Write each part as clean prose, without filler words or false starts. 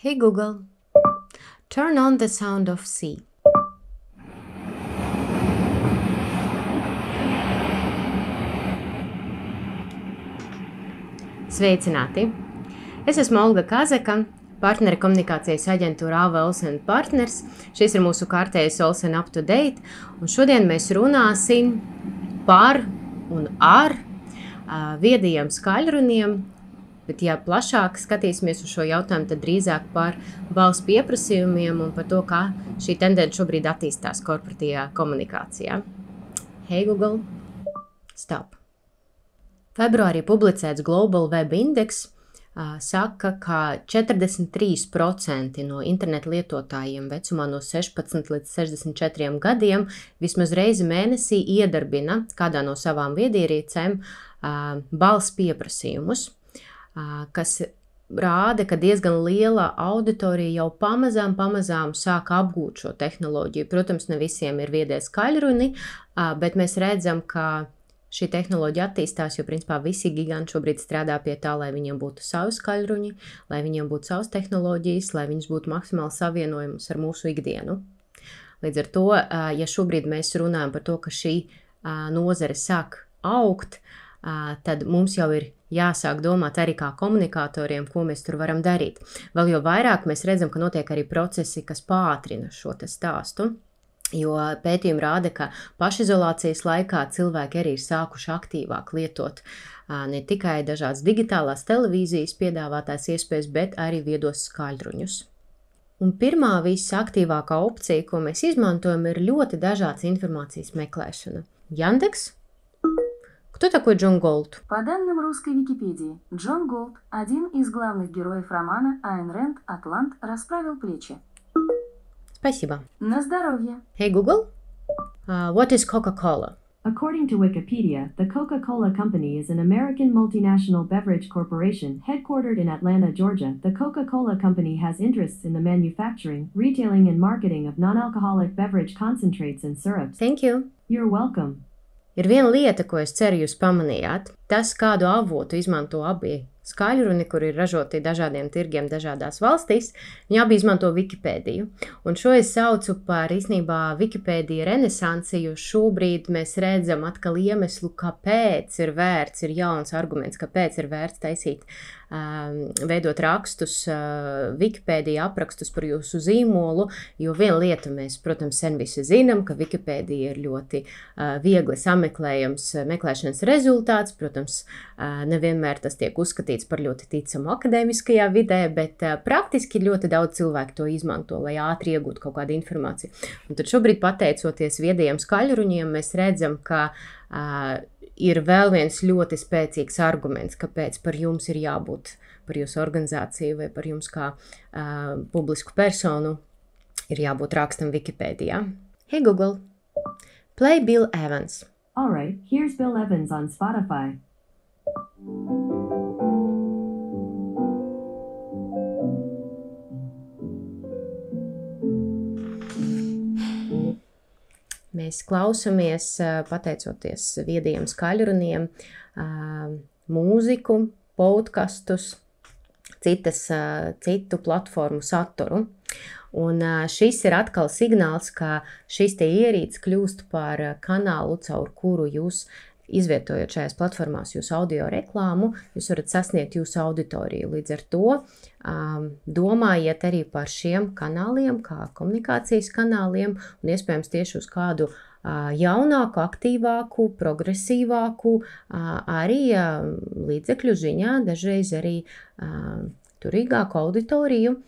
Hey Google, turn on the sound of sea. Sveicināti! Es esmu Olga Kazaka, partneri komunikācijas aģentūra AV Olsen partners. Šis ir mūsu kārtējais Olsen Up to Date, un šodien mēs runāsim par un ar viedajiem skaļruniem, bet ja plašāk skatīsimies uz šo jautājumu, tad drīzāk par balss pieprasījumiem un par to, kā šī tendence šobrīd attīstās korporatīvajā komunikācijā. Hey Google, stop! Februārī publicēts Global Web Index saka, ka 43% no interneta lietotājiem vecumā no 16 līdz 64 gadiem vismaz reizi mēnesī iedarbina kādā no savām viedierīcēm balss pieprasījumus, kas rāda, ka diezgan liela auditorija jau pamazām sāk apgūt šo tehnoloģiju. Protams, ne visiem ir viedie skaļruni, bet mēs redzam, ka šī tehnoloģija attīstās, jo principā visi giganti šobrīd strādā pie tā, lai viņiem būtu savi skaļruņi, lai viņiem būtu savas tehnoloģijas, lai viņas būtu maksimāli savienojamas ar mūsu ikdienu. Līdz ar to, ja šobrīd mēs runājam par to, ka šī nozare sāk augt, tad mums jau ir jāsāk domāt arī kā komunikatoriem, ko mēs tur varam darīt. Vēl jo vairāk mēs redzam, ka notiek arī procesi, kas pātrina šo te stāstu. Jo pētījumi rāda, ka pašizolācijas laikā cilvēki arī ir sākuši aktīvāk lietot ne tikai dažādas digitālās televīzijas piedāvātās iespējas, bet arī viedos skaļruņus. Un pirmā visaktīvākā opcija, ko mēs izmantojam, ir ļoti dažādas informācijas meklēšana. Яндекс? Кто такой Джон Голд? По данным русской Википедии, Джон Голд – один из главных героев романа Айн Рэнд «Атлант расправил плечи». Спасибо. На здоровье. Hey Google, what is Coca-Cola? According to Wikipedia, the Coca-Cola Company is an American multinational beverage corporation headquartered in Atlanta, Georgia. The Coca-Cola Company has interests in the manufacturing, retailing, and marketing of non-alcoholic beverage concentrates and syrups. Thank you. You're welcome. Ir viena lieta, ko es ceru jūs pamanījāt. Tas, kādu avotu izmanto abi skaļruni, kur ir ražoti dažādiem tirgiem dažādās valstīs, viņi abi izmanto Wikipēdiju. Un šo es saucu par īstenībā Wikipēdija renesansi, jo šobrīd mēs redzam atkal iemeslu, kāpēc ir vērts, ir jauns arguments, kāpēc ir vērts taisīt, veidot rakstus, Wikipēdija aprakstus par jūsu zīmolu, jo viena lieta mēs, protams, sen visi zinām, ka Wikipēdija ir ļoti viegli sameklējams meklēšanas rezultāts. Protams, nevienmēr tas tiek uzskatīts par ļoti ticamu akadēmiskajā vidē, bet praktiski ļoti daudz cilvēku to izmanto, lai ātri iegūtu kaut kādu informāciju. Un tad šobrīd, pateicoties viedajiem skaļruņiem, mēs redzam, ka ir vēl viens ļoti spēcīgs arguments, kāpēc par jums ir jābūt, par jūsu organizāciju vai par jums kā publisku personu ir jābūt rakstam Wikipēdijā. Hey Google, play Bill Evans. All right, here's Bill Evans on Spotify. Mēs klausamies, pateicoties viedajiem skaļruniem, mūziku, podkastus, citu platformu saturu. Un šis ir atkal signāls, ka šis te ierīce kļūst par kanālu, caur kuru jūs izvietojot šajās platformās jūsu audio reklāmu, jūs varat sasniegt jūsu auditoriju. Līdz ar to domājiet arī par šiem kanāliem, kā komunikācijas kanāliem, un iespējams tieši uz kādu jaunāku, aktīvāku, progresīvāku, arī līdzekļu ziņā, dažreiz arī turīgāku auditoriju.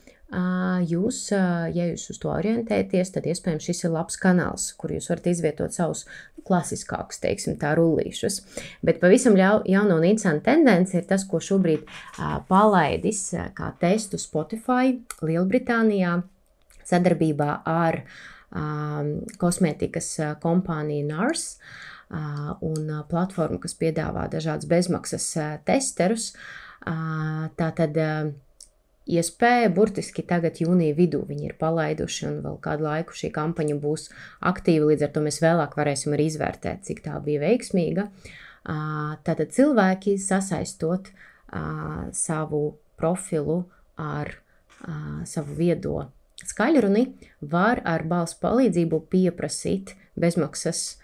Jūs, ja jūs uz to orientēties, tad iespējams šis ir labs kanāls, kur jūs varat izvietot savus klasiskākus, teiksim tā, rullīšus. Bet pavisam jauna un interesanta tendence ir tas, ko šobrīd palaidis kā testu Spotify Lielbritānijā sadarbībā ar kosmētikas kompāniju NARS un platformu, kas piedāvā dažādus bezmaksas testerus. Tātad iespēja burtiski tagad jūnija vidū viņi ir palaiduši un vēl kādu laiku šī kampaņa būs aktīva, līdz ar to mēs vēlāk varēsim arī izvērtēt, cik tā bija veiksmīga. Tātad cilvēki sasaistot savu profilu ar savu viedo skaļruni, var ar balss palīdzību pieprasīt bezmaksas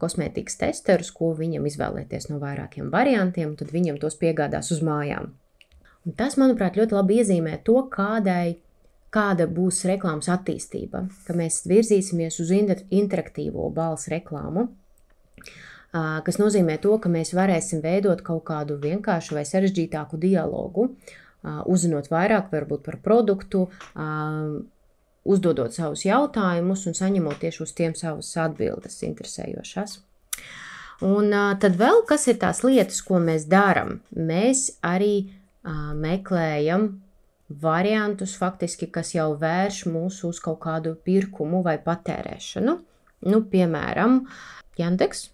kosmētikas testerus, ko viņam izvēlēties no vairākiem variantiem, un tad viņam tos piegādās uz mājām. Un tas, manuprāt, ļoti labi iezīmē to, kāda būs reklāmas attīstība, ka mēs virzīsimies uz interaktīvo balss reklāmu, kas nozīmē to, ka mēs varēsim veidot kaut kādu vienkāršu vai sarežģītāku dialogu, uzzinot vairāk varbūt par produktu, uzdodot savus jautājumus un saņemot tieši uz tiem savas atbildes interesējošās. Un tad vēl, kas ir tās lietas, ko mēs darām? Mēs arī meklējam variantus, faktiski, kas jau vērš mūs uz kaut kādu pirkumu vai patērēšanu. Nu, piemēram, Яндекс,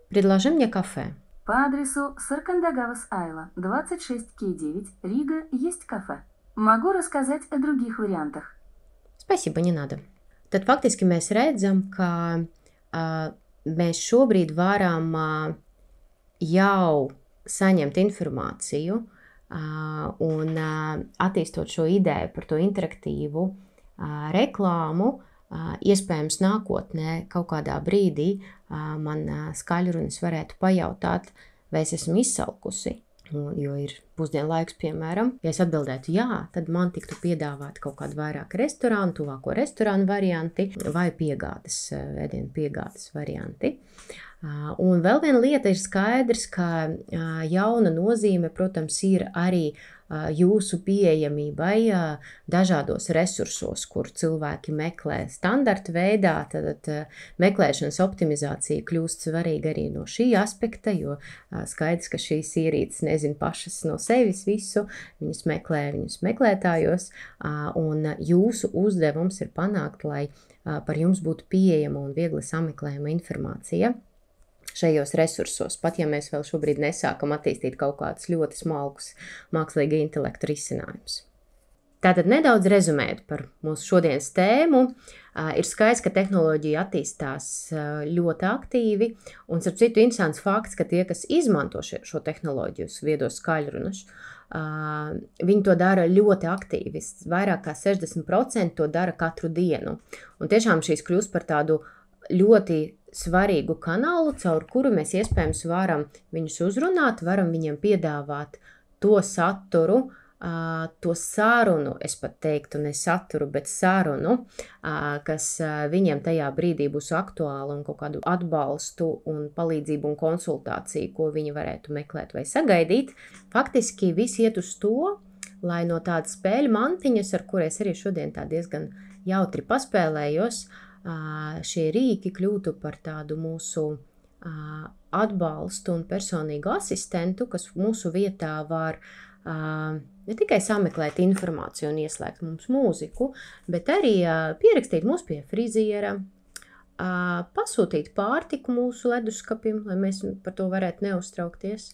предложи мне кафе. По адресу Саркандагавас Айла, 26К9, Рига, есть кафе. Могу рассказать о других вариантах. Spēcība, не надо. Tad faktiski mēs redzam, ka mēs šobrīd varam jau saņemt informāciju un attīstot šo ideju par to interaktīvu reklāmu, iespējams nākotnē kaut kādā brīdī man skaļrunis varētu pajautāt, vai es esmu izsalkusi. Jo ir pusdienlaiks, piemēram, ja es atbildētu jā, tad man tiktu piedāvāti kaut kādi vairāk restorānu, tuvāko restorānu varianti vai ēdienu piegādes varianti. Un vēl viena lieta ir skaidrs, ka jauna nozīme, protams, ir arī jūsu pieejamībai dažādos resursos, kur cilvēki meklē standarta veidā, tad meklēšanas optimizācija kļūst svarīga arī no šī aspekta, jo skaidrs, ka šīs ierīces nezin pašas no sevis visu, viņus meklē viņus meklētājos, un jūsu uzdevums ir panākt, lai par jums būtu pieejama un viegli sameklējama informācija šajos resursos, pat ja mēs vēl šobrīd nesākam attīstīt kaut kādus ļoti smalkus mākslīga intelekta risinājumus. Tātad nedaudz rezumēt par mūsu šodienas tēmu. Ir skaidrs, ka tehnoloģija attīstās ļoti aktīvi, un starp citu interesants fakts, ka tie, kas izmanto šo tehnoloģiju, viedos skaļrunus, viņi to dara ļoti aktīvi. Vairāk kā 60% to dara katru dienu. Un tiešām šīs kļūst par tādu ļoti svarīgu kanālu, caur kuru mēs iespējams varam viņus uzrunāt, varam viņiem piedāvāt to saturu, to sarunu, es pat teiktu ne saturu, bet sarunu, kas viņiem tajā brīdī būs aktuāla un kaut kādu atbalstu un palīdzību un konsultāciju, ko viņi varētu meklēt vai sagaidīt. Faktiski viss iet uz to, lai no tādas spēļu mantiņas, ar kurēs arī šodien tā diezgan jautri paspēlējos, šie rīki kļūtu par tādu mūsu atbalstu un personīgu asistentu, kas mūsu vietā var ne tikai sameklēt informāciju un ieslēgt mums mūziku, bet arī pierakstīt mūs pie friziera, pasūtīt pārtiku mūsu leduskapim, lai mēs par to varētu neuztraukties,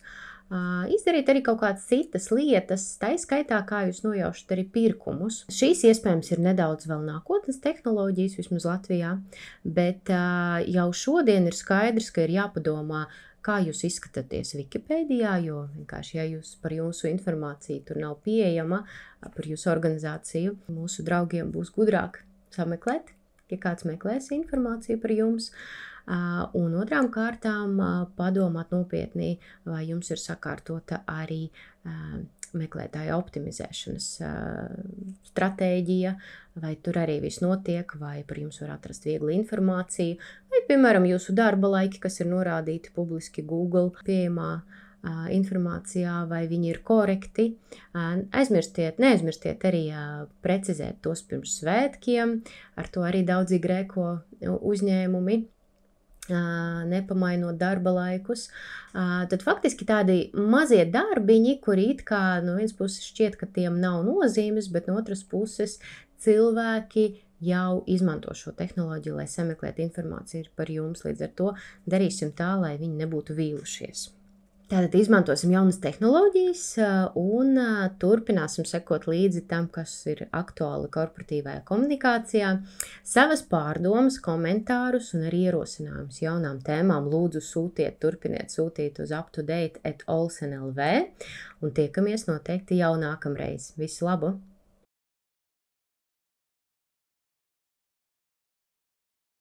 izdarīt arī kaut kādas citas lietas, tā skaitā, kā jūs nojaušat arī pirkumus. Šīs iespējams ir nedaudz vēl nākotnes tehnoloģijas, vismaz Latvijā, bet jau šodien ir skaidrs, ka ir jāpadomā, kā jūs izskatāties Wikipēdijā, jo vienkārši, ja jūs par jūsu informāciju tur nav pieejama, par jūsu organizāciju, mūsu draugiem būs gudrāk sameklēt, ja kāds meklēs informāciju par jums. Un otrām kārtām padomāt nopietni, vai jums ir sakārtota arī meklētāja optimizēšanas stratēģija, vai tur arī viss notiek, vai par jums var atrast viegli informāciju, vai, piemēram, jūsu darba laiki, kas ir norādīti publiski Google pieejamā informācijā, vai viņi ir korekti. Neaizmirstiet arī precizēt tos pirms svētkiem, ar to arī daudzi grēko uzņēmumi, nepamainot darba laikus. Tad faktiski tādi mazie darbiņi, kuri it kā no vienas puses šķiet, ka tiem nav nozīmes, bet no otras puses cilvēki jau izmanto šo tehnoloģiju, lai sameklētu informāciju par jums. Līdz ar to darīsim tā, lai viņi nebūtu vīlušies. Tātad izmantosim jaunas tehnoloģijas un turpināsim sekot līdzi tam, kas ir aktuāli korporatīvajā komunikācijā. Savas pārdomas, komentārus un arī ierosinājumus jaunām tēmām lūdzu turpiniet sūtīt uz uptodate@olsen.lv un tiekamies noteikti jau nākamreiz. Visu labu!